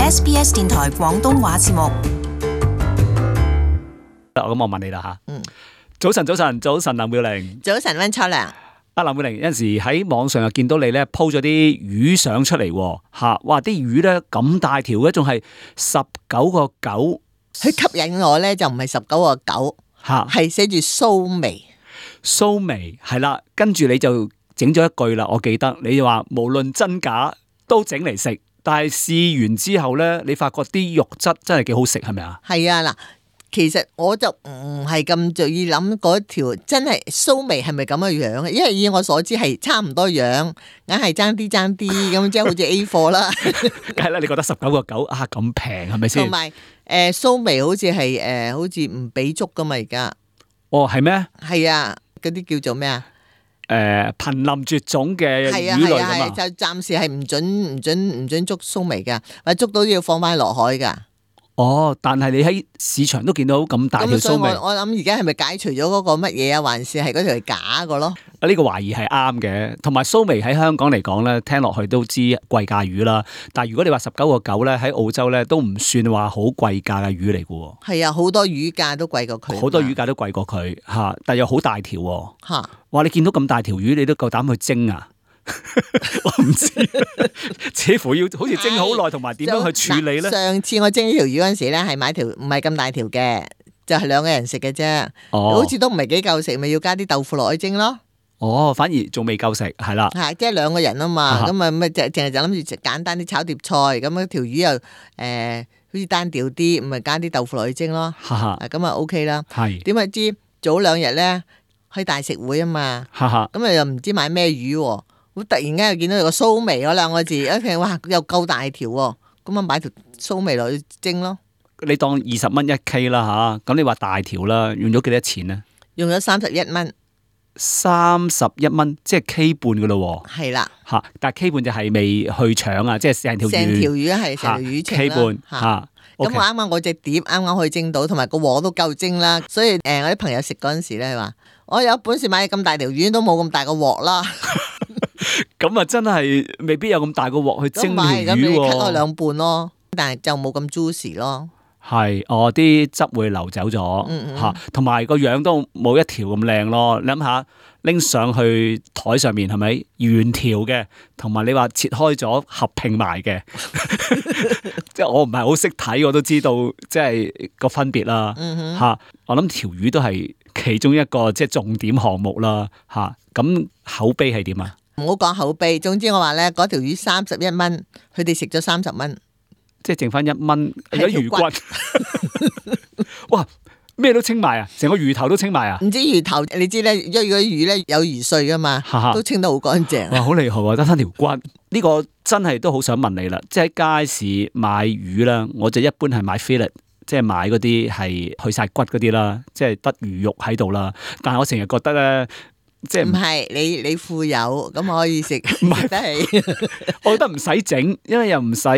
SBS 電台廣東話節目。咁我問你啦吓，早晨，林妙玲，早晨溫秋良。林妙玲有陣時喺網上又見到你咧 po 咗啲魚相出嚟吓，哇！啲魚咧咁大條嘅，仲係19個9，佢吸引我咧就唔係19個9，係寫住蘇眉。蘇眉係啦，跟住你就整咗一句啦，我記得你就話無論真假都整嚟食，但係試完之後咧，你發覺啲肉質真係幾好食，係咪啊？係啊，嗱，其實我就唔係咁注意諗嗰條真係蘇眉係咪咁嘅樣嘅，因為以我所知係差唔多樣，硬係爭啲咁，即係好似 A 貨啦。梗係啦，你覺得19個9啊咁平係咪先？同埋蘇眉好似係好似唔俾捉噶嘛而家。哦，係咩？係啊，嗰啲叫做咩啊？瀕臨絕種嘅魚類㗎嘛，就暫時係唔准捉蘇眉噶，或者捉到都要放翻落海噶。哦，但係你喺市場都見到咁大條蘇眉，我諗而家係咪解除咗嗰個乜嘢啊？還是係嗰條係假個咯？呢個懷疑係啱嘅，同埋蘇眉喺香港嚟講咧，聽落去都知貴價魚啦。但係如果你話19個9咧，喺澳洲咧都唔算話好貴價嘅魚嚟嘅。係啊，好多魚價都貴過佢，好多魚價都貴過佢吓，但係又好大條吓。哇！你見到咁大條魚，你都夠膽去蒸啊？我唔知，似乎要好似蒸好耐，同埋點樣去處理咧？上次我蒸呢條魚嗰陣時咧，係買條唔係咁大條嘅，就係2個人食嘅啫。好似都唔係幾夠食，咪要加啲豆腐落去蒸咯。哦，反而仲未夠食，係啦。係即係2個人啊嘛，咁啊咪淨係就諗住簡單啲炒碟菜，咁條魚又好似單調啲，咪加啲豆腐落去蒸咯。咁啊 OK 啦。係點解知早2日咧去大食會啊嘛？咁啊又唔知買咩魚。我突然間又見到有個蘇眉嗰2個字，一聽哇又夠大條喎，咁啊買條蘇眉落去蒸咯。你當20蚊1 K 啦吓，咁你話大條啦，用咗幾多錢呢？用咗31蚊。31蚊，即係 K 半噶咯。係啦，吓，但係 K 半就係未去腸啊，即係成條魚係成條魚程 K 半吓。咁我啱啱我隻碟啱啱可以蒸到，同埋個鑊都夠蒸啦。所以我啲朋友食嗰陣時咧話，我有本事買咁大條魚都冇咁大個鑊啦。咁啊，真係未必有咁大個鑊去蒸條魚喎。咁你 cut 開2半咯，但係就冇咁 juicy 咯。係，啲汁會流走咗吓，同埋個樣都冇一條咁靚咯。你諗下，拎上去台上面係咪圓條嘅？同埋你話切開咗合拼埋嘅，即係我唔係好識睇，我都知道即係個分別啦吓。我諗條魚都係其中一個即係重點項目啦吓。咁口碑係點啊？唔好講口碑，總之我話咧，嗰條魚31蚊，佢哋食咗30蚊。即係剩翻1蚊，有魚骨。哇！咩都清埋啊，成個魚頭都清埋啊。唔知魚頭，你知咧，因為嗰啲魚咧有魚碎噶嘛，都清得好乾淨。哇，好厲害喎，得翻條骨。呢個真係都好想問你啦，即係喺街市買魚啦，我就一般係買 fillet，即係買嗰啲係去晒骨嗰啲啦，即係得魚肉喺度啦。但係我成日覺得咧。即係唔係你富有咁可以食，唔係得起。我覺得唔使整，因為又唔使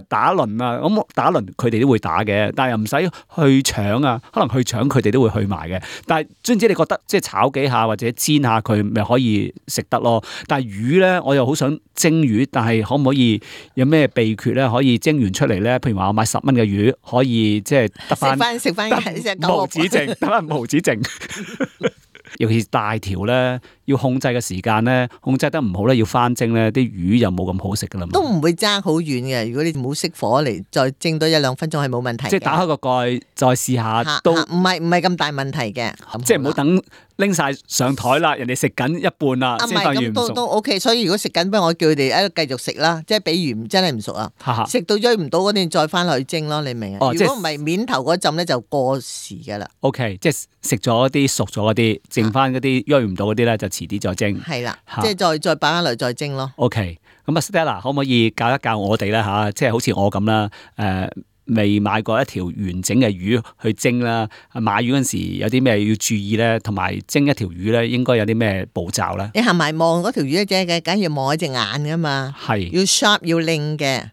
打鱗啊。咁打鱗佢哋都會打嘅，但係又唔使去腸啊。可能去腸佢哋都會去埋嘅。但係總之你覺得即係炒幾下或者煎下佢，咪可以食得咯。但係魚咧，我又好想蒸魚，但係可唔可以有咩秘訣咧？可以蒸完出嚟咧？譬如話我買10蚊嘅魚，可以即係得翻食翻無止剩，得翻無止剩。尤其是大條咧，要控制嘅時間咧，控制得唔好咧，要翻蒸咧，啲魚又冇咁好食噶啦。都唔會爭好遠嘅，如果你唔好熄火嚟，再蒸多1-2分鐘係冇問題嘅。即係打開個蓋再試下都唔係咁大問題嘅。即係唔好等拎晒上台啦，人哋食緊一半啦，先發現唔熟。都 OK， 所以如果食緊，不如我叫佢哋喺度繼續食啦。即係比如真係唔熟啊，食到追唔到嗰啲再翻落去蒸咯，你明啊？如果唔係面頭嗰陣咧就過時噶啦。OK， 即係食咗啲熟咗嗰啲，剩翻嗰啲追唔到嗰啲咧就遲啲再蒸。係啦，即係再擺翻落去再蒸咯。OK， 咁啊 Stella 可唔可以教一教我哋咧吓？即係好似我咁啦，未買過一條完整嘅魚去蒸啦，買魚嗰陣時有啲咩要注意咧？同埋蒸一條魚咧，應該有啲咩步驟咧？你行埋望嗰條魚啫，梗要望一隻眼噶嘛，係要 sharp 要靚嘅。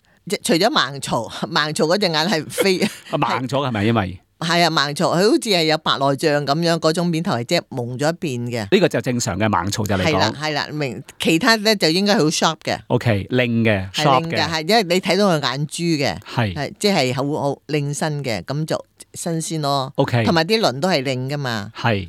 除咗盲槽嗰隻眼係飛盲咗係咪？因為係啊，盲槽，佢好似係有白內障咁樣，嗰種面頭係即係蒙咗一邊嘅。呢個就正常嘅盲槽就嚟講。係啦，明其他咧就應該好 sharp 嘅。OK， 靚嘅 sharp 嘅，係因為你睇到佢眼珠嘅，係即係好靚身嘅，咁就新鮮咯。OK，同埋啲鱗都係靚噶嘛。係。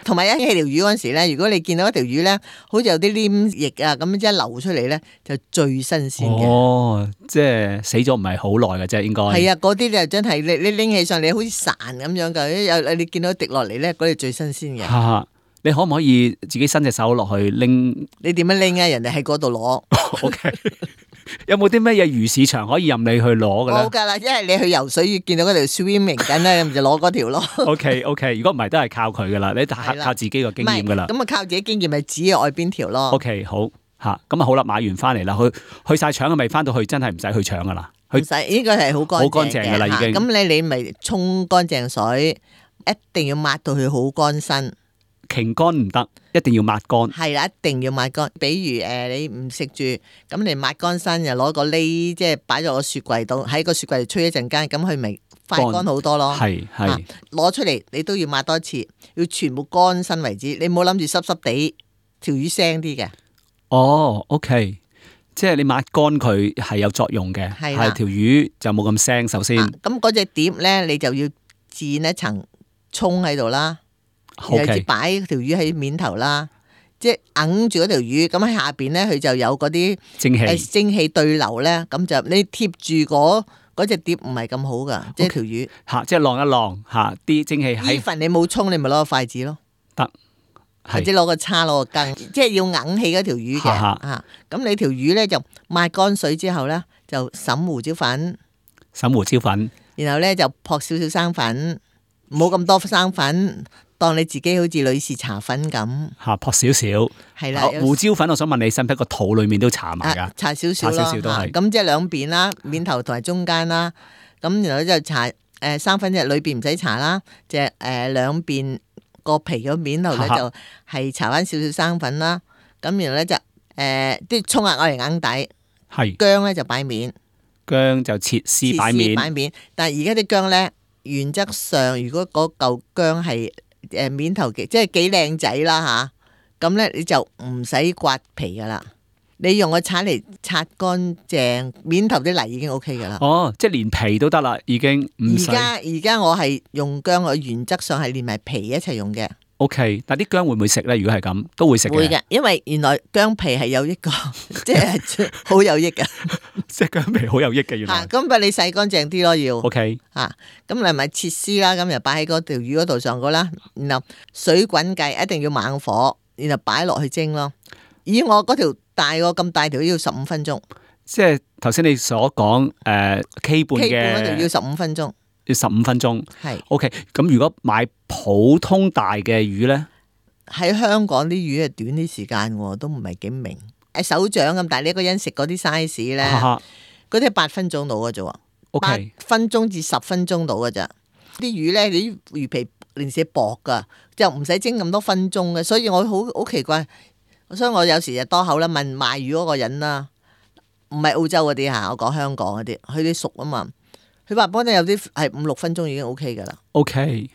同埋一起條魚嗰陣時咧，如果你見到一條魚咧，好似有啲黏液啊，咁即係流出嚟咧，就最新鮮嘅。哦，即係死咗唔係好耐嘅啫，應該。係啊，嗰啲就真係你拎起上嚟好似潺咁樣噶，有你見到滴落嚟咧，嗰啲最新鮮嘅。你可唔可以自己伸隻手落去拎？你點樣拎啊？人哋喺嗰度攞。OK。有冇啲咩嘢魚市場可以任你去攞嘅咧？冇噶啦，因為你去游水見到嗰條 swimming 緊咧，就攞嗰條咯。OK， 如果唔係都係靠佢噶啦，你靠自己個經驗噶啦。咁啊，靠自己經驗咪指外邊條咯。OK， 好吓，咁啊好啦，買完翻嚟啦，去晒腸嘅未？翻到去真係唔使去腸噶啦，唔使，呢個係好乾淨噶啦，已經。咁你咪沖乾淨水，一定要抹到佢好乾身。擎乾唔得，一定要抹乾。係啦，一定要抹乾。比如你唔食住，咁你抹乾身，又攞個呢，即係擺咗個雪櫃度，喺個雪櫃度吹一陣間，咁佢咪快乾好多咯。係攞出嚟你都要抹多次，要全部乾身為止。你唔好諗住濕濕地，條魚腥啲嘅。哦，OK，即係你抹乾佢係有作用嘅，係條魚就冇咁腥。首先，咁嗰隻碟咧，你就要墊一層蔥喺度啦。然後擺條魚喺面頭啦，即係揞住嗰條魚，咁喺下邊咧佢就有嗰啲蒸氣對流咧，咁就你貼住嗰隻碟唔係咁好噶，即係條魚即係晾一晾吓啲蒸氣。呢份你冇沖，你咪攞個筷子咯，得，或者攞個叉攞個羹，即係要揞起嗰條魚嘅吓。咁你條魚咧就抹乾水之後咧就揼胡椒粉，然後咧就撲少少生粉，唔好咁多生粉。當你自己好似女士搽粉咁撲少少，係啦。胡椒粉，我想問你，使唔使個肚裏面都搽埋噶？搽少少都係。咁即係兩邊啦，面頭同埋中間啦。咁然後就搽生粉，即係裏邊唔使搽啦。即係兩邊個皮個面頭咧就係搽翻少少生粉啦。咁然後咧就啲蔥啊攞嚟硬底，薑咧就擺面，薑就切絲擺面。但係而家啲薑咧，原則上如果嗰嚿薑係面頭即係幾靚仔啦吓，咁咧你就唔使刮皮噶啦，你用個鏟嚟擦乾淨面頭啲泥已經 OK 噶啦。哦，即係連皮都得啦，已經唔使。而家我係用薑，我原則上係連埋皮一齊用嘅。OK， 但啲薑會唔會食咧？如果係咁，都會食嘅。會嘅，因為原來薑皮係有益個，即係好有益嘅。即係薑皮好有益嘅，原來。咁咪你洗乾淨啲咯，要。OK。咁你咪切絲啦，咁又擺喺嗰條魚嗰度上嗰啦，然後水滾計，一定要猛火，然後擺落去蒸咯。以我嗰條大個咁大條要15分鐘。即係頭先你所講K 半嗰條要15分鐘。要15分鐘，係 OK。咁如果買普通大嘅魚咧，喺香港啲魚係短啲時間喎，都唔係幾明。手掌咁大，你一個人食嗰啲 size 咧，嗰啲係8分鐘到嘅啫喎，8分鐘至10分鐘到嘅咋。啲魚咧，你啲魚皮零舍薄噶，就唔使蒸咁多分鐘嘅。所以我好奇怪，所以我有時就多口啦，問賣魚嗰個人啦，唔係澳洲嗰啲嚇，我講香港嗰啲，佢啲熟啊嘛。佢話幫你有啲係5-6分鐘已經 OK 噶啦。OK，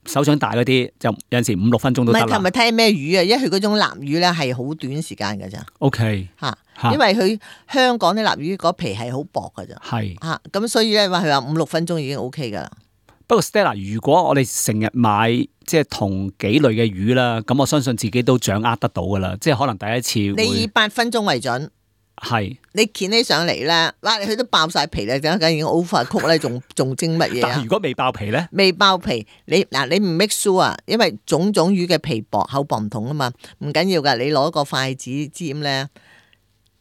手掌大嗰啲就有陣時5-6分鐘都得啦。唔係睇咩魚啊？因為佢嗰種臘魚咧係好短時間噶咋。OK，因為佢香港啲臘魚嗰皮係好薄噶咋。係咁所以咧話佢話5-6分鐘已經 OK 噶啦。不過 Stella， 如果我哋成日買即係同幾類嘅魚啦，咁我相信自己都掌握得到噶啦。即係可能第一次你以8分鐘為準。係你鉸起上嚟咧，哇！佢都爆晒皮咧，梗已經 overcook 咧，仲蒸乜嘢啊？但如果未爆皮咧？未爆皮，你唔 make sure 啊，因為種魚嘅皮薄厚薄唔同啊嘛，唔緊要噶，你攞個筷子尖咧，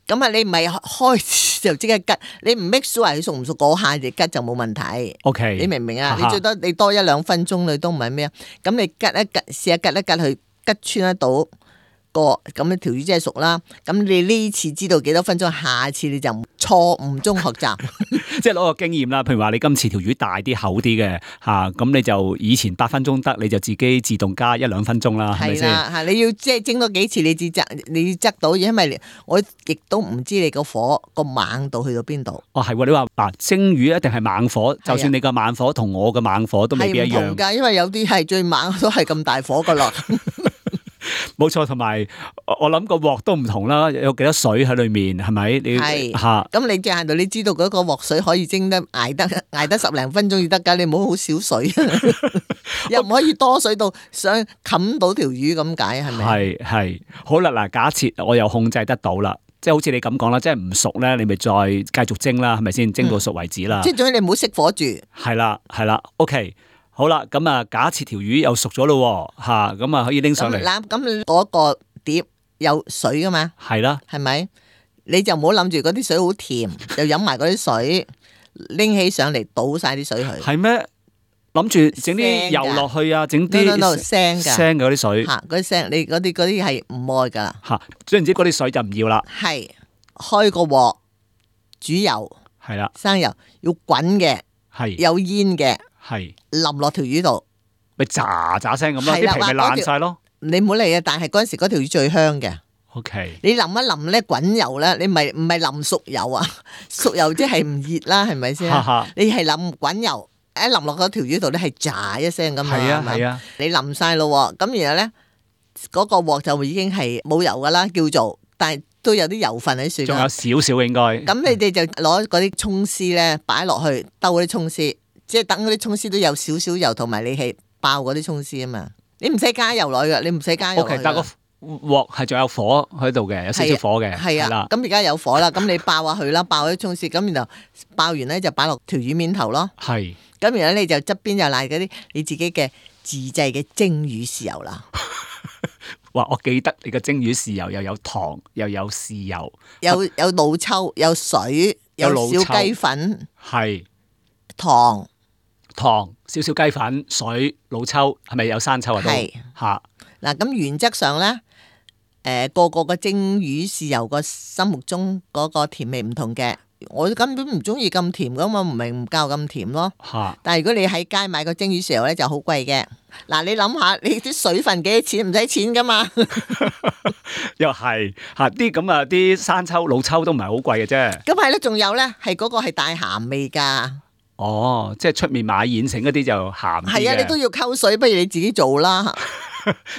咁啊你唔係開始就即刻吉，你唔 make sure 佢熟唔熟嗰下就吉就冇問題。OK， 你明唔明啊？你最多你多1-2分鐘你都唔係咩啊？咁你吉一吉，試下吉一吉佢吉穿得到。過，咁條魚真係熟啦。咁你呢次知道幾多分鐘，下次你就錯誤中學習，即係攞個經驗啦。譬如話你今次條魚大啲、厚啲嘅嚇，咁你就以前8分鐘得，你就自己自動加1-2分鐘啦，係咪先？係啦，嚇你要即係蒸多幾次，你至執到，因為我亦都唔知你個火個猛度去到邊度。哦，係喎，你話嗱蒸魚一定係猛火，就算你個猛火同我嘅猛火都未必一樣。係唔同㗎，因為有啲係最猛都係咁大火㗎咯。冇錯，同埋我諗個鑊都唔同啦，有幾多水喺裏面，係咪？係嚇，咁你嘅限度，你知道嗰個鑊水可以蒸得捱得10零分鐘要得㗎，你唔好好少水，又唔可以多水到想冚到條魚咁解，係咪？係好啦，嗱，假設我又控制得到啦，即係好似你咁講啦，即係唔熟咧，你咪再繼續蒸啦，係咪先？蒸到熟為止啦。即係總之你唔好熄火住。係啦，OK。好啦，咁啊，假設條魚又熟咗咯，吓，咁啊可以拎上嚟。咁嗰個碟有水噶嘛？係啦，係咪？你就唔好諗住嗰啲水好甜，就飲埋嗰啲水，拎起上嚟倒晒啲水去。係咩？諗住整啲油落去啊，整啲腥嘅嗰啲水。吓，嗰啲腥，你嗰啲係唔愛噶。吓，總言之嗰啲水就唔要啦。係開個鑊煮油，係啦，生油要滾嘅，係有煙嘅。係淋落條魚度，咪喳喳聲咁咯，啲皮咪爛晒咯。你唔好理啊！但係嗰陣時嗰條魚最香嘅。OK，你淋一淋咧滾油咧，你唔係淋熟油啊？熟油即係唔熱啦，係咪先？你係淋滾油，一淋落嗰條魚度咧係喳一聲咁啊！係啊，你淋晒咯，咁然後咧嗰個鑊就已經係冇油噶啦，叫做，但係都有啲油分喺度。仲有少少應該。咁你哋就攞嗰啲蔥絲咧擺落去兜嗰啲蔥絲。即係等嗰啲蔥絲都有少少油，同埋你係爆嗰啲蔥絲啊嘛，你唔使加油落去噶，你唔使加油落去。OK，但個鑊係仲有火喺度嘅，有少少火嘅。係啊，咁而家有火啦，咁你爆下佢啦，爆啲蔥絲，咁然後爆完咧就擺落條魚面頭咯。係。咁然後你就側邊又賴嗰啲你自己嘅自製嘅蒸魚豉油啦。哇！我記得你嘅蒸魚豉油又有糖，又有豉油，有老抽，有水，有小雞粉，係糖、少少雞粉、水、老抽，係咪有生抽啊？都係嚇。嗱，咁原則上咧，個個蒸魚豉油個心目中嗰個甜味唔同嘅，我根本唔中意咁甜噶嘛，唔明唔教咁甜咯。但係如果你喺街買個蒸魚豉油咧，就好貴嘅。嗱，你諗下，你啲水分幾多錢？唔使錢噶嘛。又係嚇啲咁啊！啲生抽、老抽都唔係好貴嘅啫。咁係咯，仲有咧，係嗰個係帶鹹味㗎。哦，即係出面買現成嗰啲就鹹啲嘅。係啊，你都要溝水，不如你自己做啦。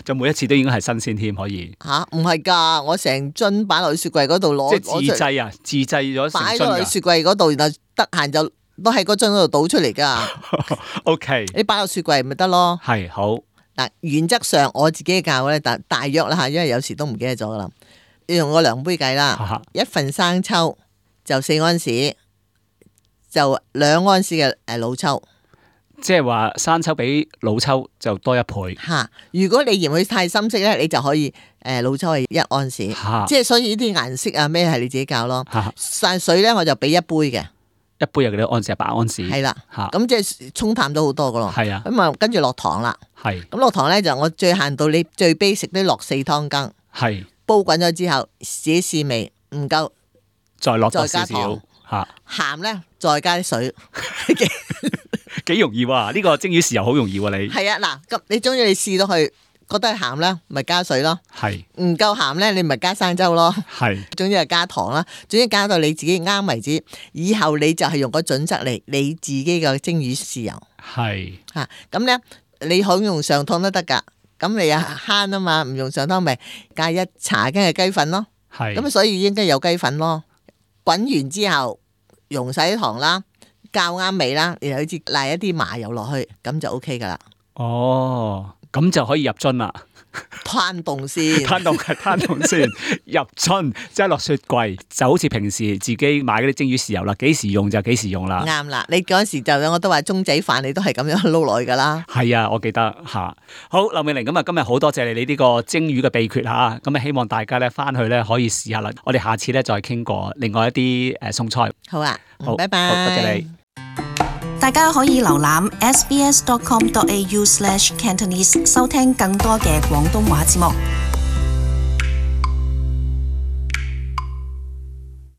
就每一次都應該係新鮮添，可以。嚇，唔係㗎，我成樽擺落去雪櫃嗰度攞。即係自製啊！自製咗成樽㗎。擺咗落去雪櫃嗰度，然後得閒就都喺嗰樽嗰度倒出嚟㗎。OK。你擺落雪櫃咪得咯。係好。嗱，原則上我自己教咧，大約啦嚇，因為有時都唔記得咗㗎啦。你用個量杯計啦，一份生抽就4安士，就2安士嘅老抽。即係話生抽比老抽就多1倍。嚇！如果你嫌佢太深色咧，你就可以老抽係1安士。即係所以呢啲顏色啊咩係你自己教咯。散水咧我就俾1杯嘅。1杯有幾多安士啊？8安士。係啦。嚇！咁即係沖淡咗好多噶咯。係啊。咁啊跟住落糖啦。係。咁落糖咧就我最限度你最 basic 都落4湯羹。係。煲滾咗之後自己試味唔夠，再落再加糖。嚇。鹹咧再加啲水。幾容易喎！呢個蒸魚豉油好容易喎，你係啊嗱，咁你中意你試到去覺得係鹹咧，咪加水咯。係唔夠鹹咧，你咪加生抽咯。係，總之係加糖啦。總之加到你自己啱為止。以後你就係用個準則嚟你自己嘅蒸魚豉油。係嚇咁咧，你可以用上湯都得㗎。咁你又慳啊嘛，唔用上湯咪加1茶羹嘅雞粉咯。係咁，所以應該有雞粉咯。滾完之後溶晒啲糖啦。較啱味啦，然後好似賴一啲麻油落去，咁就 OK 噶啦。哦，咁就可以入樽啦。攤凍先，攤凍先，入樽即係落雪櫃，就好似平時自己買嗰啲蒸魚豉油啦，幾時用就幾時用啦。啱啦，你嗰陣時就我都話中仔飯，你都係咁樣撈落去噶啦。係啊，我記得吓。好，劉美玲，咁啊，今日好多謝你呢個蒸魚嘅秘訣吓，咁啊，希望大家咧翻去咧可以試下啦。我哋下次咧再傾過另外一啲餸菜。好啊，好，拜拜，好，多謝你。大家可以瀏覽 sbs.com.au/cantonese 收聽更多嘅廣東話節目。